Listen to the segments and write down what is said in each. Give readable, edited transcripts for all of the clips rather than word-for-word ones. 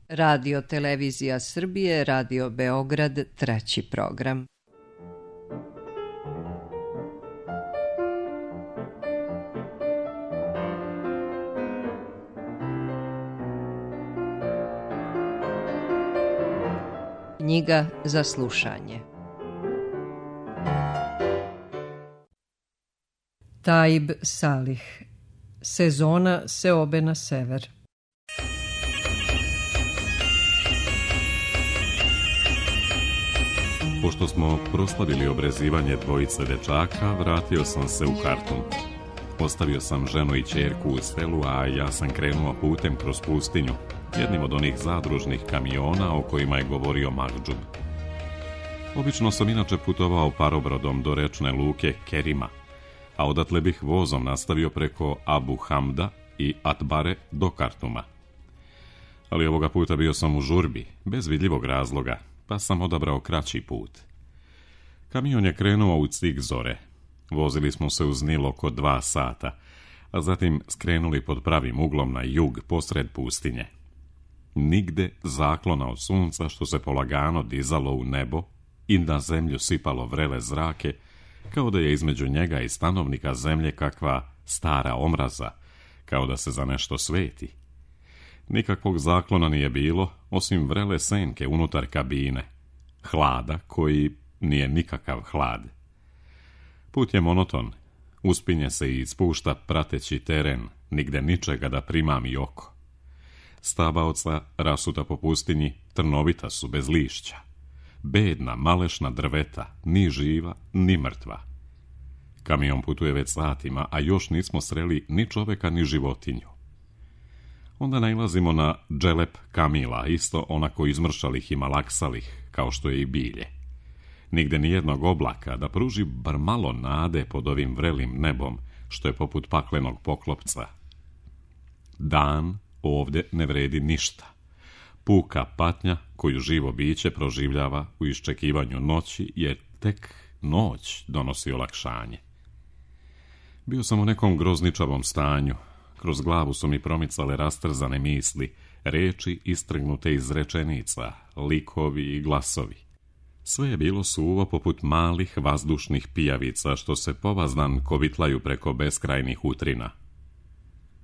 Radio Televizija Srbije, Radio Beograd, treći program. Knjiga za slušanje. Taib Salih. Sezona seobe na sever. Pošto smo proslavili obrezivanje dvojice dečaka, vratio sam se u Kartum. Ostavio sam ženu i ćerku u selu, a ja sam krenuo putem kroz pustinju, jednim od onih zadružnih kamiona o kojima je govorio Mahdžub. Obično sam inače putovao parobrodom do rečne luke Kerima, a odatle bih vozom nastavio preko Abu Hamda i Atbare do Kartuma. Ali ovoga puta bio sam u žurbi, bez vidljivog razloga, pa sam odabrao kraći put. Kamion je krenuo u cik zore. Vozili smo se uz Nil oko 2 sata, a zatim skrenuli pod pravim uglom na jug posred pustinje. Nigde zaklona od sunca što se polagano dizalo u nebo i na zemlju sipalo vrele zrake, kao da je između njega i stanovnika zemlje kakva stara omraza, kao da se za nešto sveti. Nikakvog zaklona nije bilo, osim vrele senke unutar kabine, hlada koji nije nikakav hlad. Put je monoton, uspinje se i spušta prateći teren, nigde ničega da primami oko. Stabaoca rasuta po pustinji trnovita su bez lišća. Bedna, malešna drveta, ni živa, ni mrtva. Kamion putuje već satima, a još nismo sreli ni čoveka, ni životinju. Onda nailazimo na dželep kamila, isto onako izmršalih i malaksalih, kao što je i bilje. Nigde nijednog oblaka da pruži bar malo nade pod ovim vrelim nebom, što je poput paklenog poklopca. Dan ovdje ne vredi ništa. Puka patnja koju živo biće proživljava u iščekivanju noći, jer tek noć donosi olakšanje. Bio sam u nekom grozničavom stanju. Kroz glavu su mi promicale rastrzane misli, reči istrgnute iz rečenica, likovi i glasovi. Sve je bilo suvo poput malih vazdušnih pijavica što se povazdan kovitlaju preko beskrajnih utrina.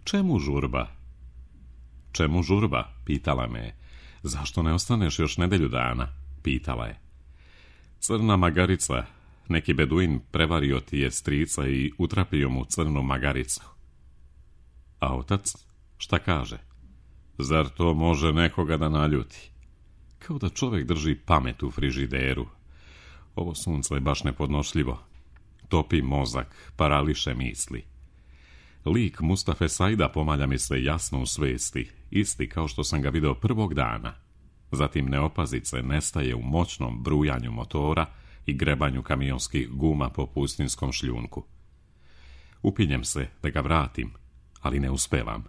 Čemu žurba? Čemu žurba? Pitala me. Zašto ne ostaneš još nedelju dana? Pitala je. Crna magarica, neki beduin prevario ti je strica i utrapio mu crnu magaricu. A otac, šta kaže? Zar to može nekoga da naljuti? Kao da čovjek drži pamet u frižideru. Ovo sunce je baš nepodnošljivo. Topi mozak, parališe misli. Lik Mustafe Saida pomalja mi se jasno u svesti, isti kao što sam ga video prvog dana. Zatim neopazice nestaje u moćnom brujanju motora i grebanju kamionskih guma po pustinskom šljunku. Upinjem se da ga vratim, ali ne uspevam.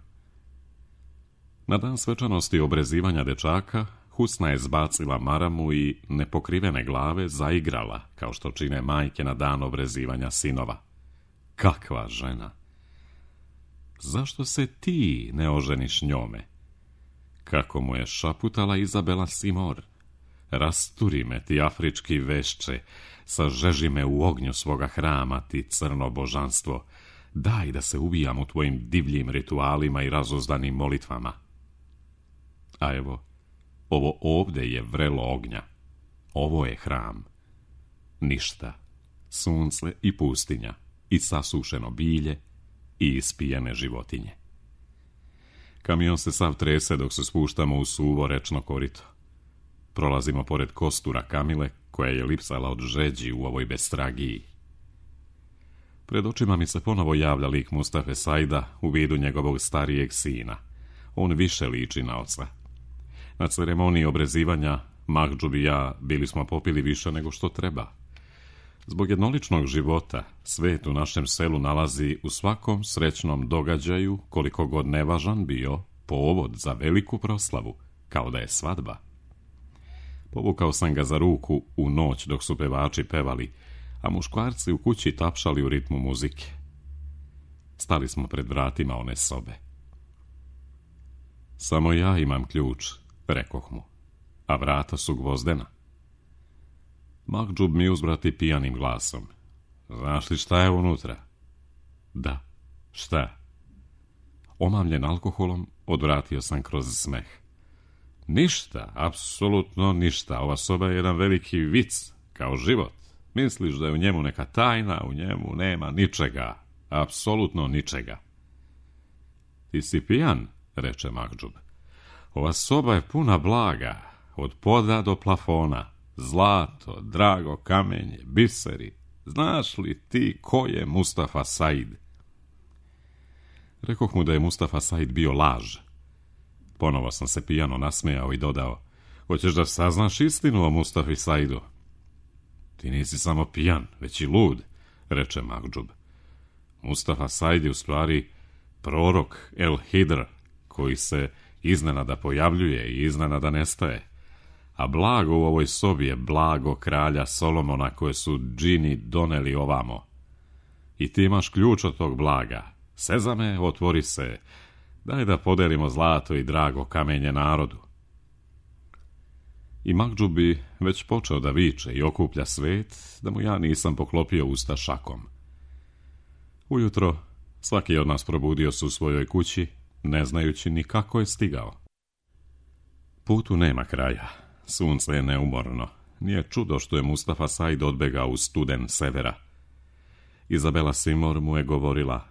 Na dan svečanosti obrezivanja dečaka, Husna je zbacila maramu i nepokrivene glave zaigrala, kao što čine majke na dan obrezivanja sinova. Kakva žena! Zašto se ti ne oženiš njome? Kako mu je šaputala Izabela Simor. Rasturi me ti afrički vešče, sažeži me u ognju svoga hrama ti crno božanstvo. Daj da se ubijam u tvojim divljim ritualima i razuzdanim molitvama. A evo, ovo ovdje je vrelo ognja. Ovo je hram. Ništa. Sunce i pustinja, i sasušeno bilje, i ispijene životinje. Kamion se sav trese dok se spuštamo u suvo rečno korito. Prolazimo pored kostura Kamile, koja je lipsala od žeđi u ovoj bestragiji. Pred očima mi se ponovo javlja lik Mustafe Saida u vidu njegovog starijeg sina. On više liči na oca. Na ceremoniji obrezivanja Mahdžub i ja bili smo popili više nego što treba. Zbog jednoličnog života, svet u našem selu nalazi u svakom srećnom događaju, koliko god nevažan bio, povod za veliku proslavu, kao da je svadba. Povukao sam ga za ruku u noć dok su pevači pevali, a muškarci u kući tapšali u ritmu muzike. Stali smo pred vratima one sobe. Samo ja imam ključ, rekoh mu, a vrata su gvozdena. Makdžub mi uzvrati pijanim glasom. Znaš li šta je unutra? Da, šta? Omamljen alkoholom, odvratio sam kroz smeh. Ništa, apsolutno ništa. Ova soba je jedan veliki vic, kao život. Misliš da je u njemu neka tajna, u njemu nema ničega, apsolutno ničega. Ti si pijan, reče Makdžub. Ova soba je puna blaga, od poda do plafona. Zlato, drago kamenje, biseri. Znaš li ti ko je Mustafa Said? Rekoh mu da je Mustafa Said bio laž. Ponovo sam se pijano nasmejao i dodao, hoćeš da saznaš istinu o Mustafi Saidu? Ti nisi samo pijan, već i lud, reče Makdžub. Mustafa Said je u stvari prorok El Hidr, koji se iznenada pojavljuje i iznenada nestaje. A blago u ovoj sobi je blago kralja Solomona koje su džini doneli ovamo. I ti imaš ključ od tog blaga. Sezame, otvori se. Daj da podelimo zlato i drago kamenje narodu. I Makdžub bi već počeo da viče i okuplja svet, da mu ja nisam poklopio usta šakom. Ujutro svaki od nas probudio se u svojoj kući, ne znajući ni kako je stigao. Putu nema kraja. Sunce je neumorno. Nije čudo što je Mustafa Said odbegao u studen severa. Izabela Simor mu je govorila,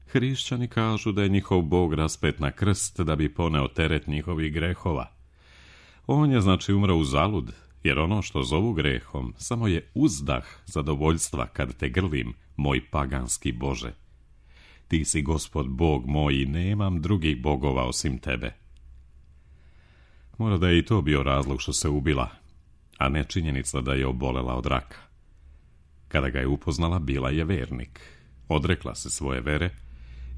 hrišćani kažu da je njihov bog raspet na krst da bi poneo teret njihovih grehova. On je znači umro uzalud, jer ono što zovu grehom samo je uzdah zadovoljstva kad te grlim, moj paganski Bože. Ti si Gospod Bog moj i nemam drugih bogova osim tebe. Mora da je i to bio razlog što se ubila, a ne činjenica da je obolela od raka. Kada ga je upoznala, bila je vernik. Odrekla se svoje vere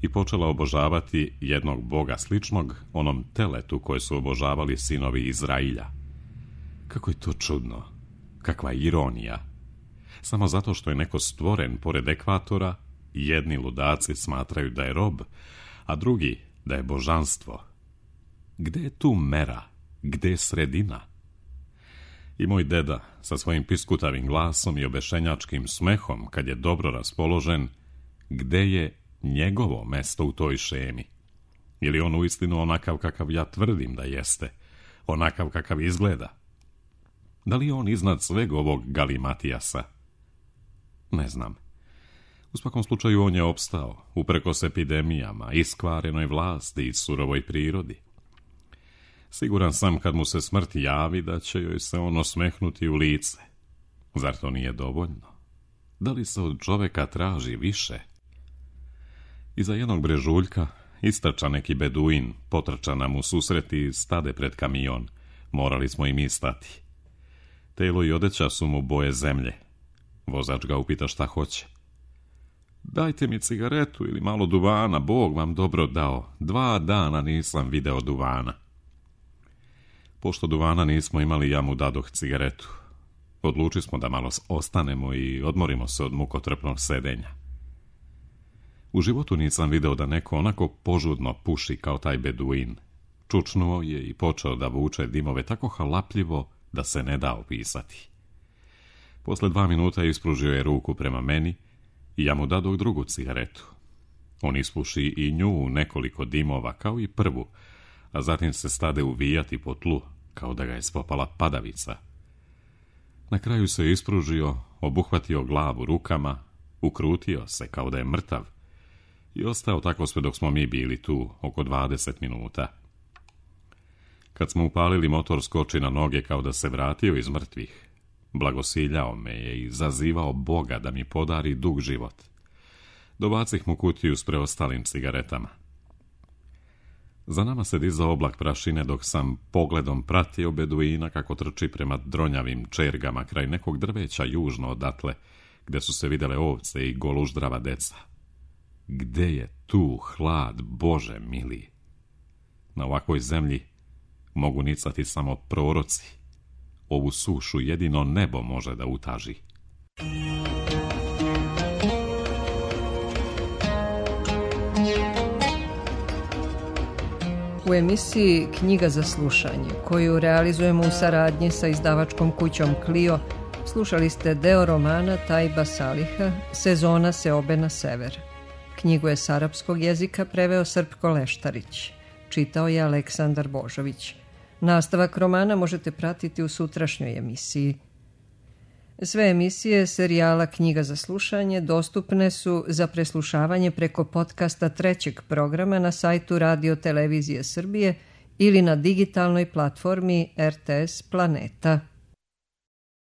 i počela obožavati jednog boga sličnog onom teletu koje su obožavali sinovi Izrailja. Kako je to čudno, kakva ironija. Samo zato što je neko stvoren pored ekvatora, jedni ludaci smatraju da je rob, a drugi da je božanstvo. Gde je tu mera? Gde je sredina? I moj deda, sa svojim piskutavim glasom i obešenjačkim smehom, kad je dobro raspoložen, gde je njegovo mesto u toj šemi? Ili on uistinu onakav kakav ja tvrdim da jeste, onakav kakav izgleda? Da li je on iznad sveg ovog galimatijasa? Ne znam. U svakom slučaju on je opstao, uprkos epidemijama, iskvarenoj vlasti i surovoj prirodi. Siguran sam kad mu se smrt javi da će joj se on osmehnuti u lice. Zar to nije dovoljno? Da li se od čoveka traži više? Iza jednog brežuljka istrča neki beduin, potrča nam u susret i stade pred kamion. Morali smo i mi stati. Telo i odeća su mu boje zemlje. Vozač ga upita šta hoće. Dajte mi cigaretu ili malo duvana, Bog vam dobro dao. 2 dana nisam video duvana. Pošto duvana nismo imali, ja mu dadoh cigaretu. Odlučili smo da malo ostanemo i odmorimo se od mukotrpnog sedenja. U životu nisam video da neko onako požudno puši kao taj beduin. Čučnuo je i počeo da vuče dimove tako halapljivo da se ne da opisati. Posle 2 minuta ispružio je ruku prema meni i ja mu dadoh drugu cigaretu. On ispuši i nju u nekoliko dimova kao i prvu, a zatim se stade uvijati po tlu, kao da ga je spopala padavica. Na kraju se ispružio, obuhvatio glavu rukama, ukrutio se kao da je mrtav i ostao tako sve dok smo mi bili tu, oko 20 minuta. Kad smo upalili motor, skoči na noge kao da se vratio iz mrtvih. Blagosiljao me je i zazivao Boga da mi podari dug život. Dobacih mu kutiju s preostalim cigaretama. Za nama se dizao oblak prašine dok sam pogledom pratio beduina kako trči prema dronjavim čergama kraj nekog drveća južno odatle, gde su se videle ovce i goluždrava deca. Gde je tu hlad, Bože mili? Na ovakvoj zemlji mogu nicati samo proroci. Ovu sušu jedino nebo može da utaži. U emisiji Knjiga za slušanje, koju realizujemo u saradnji sa izdavačkom kućom Clio, slušali ste deo romana Tajba Saliha Sezona seobe na sever. Knjigu je s arapskog jezika preveo Srpko Leštarić. Čitao je Aleksandar Božović. Nastavak romana možete pratiti u sutrašnjoj emisiji. Sve emisije serijala Knjiga za slušanje dostupne su za preslušavanje preko podcasta trećeg programa na sajtu Radio Televizije Srbije ili na digitalnoj platformi RTS Planeta.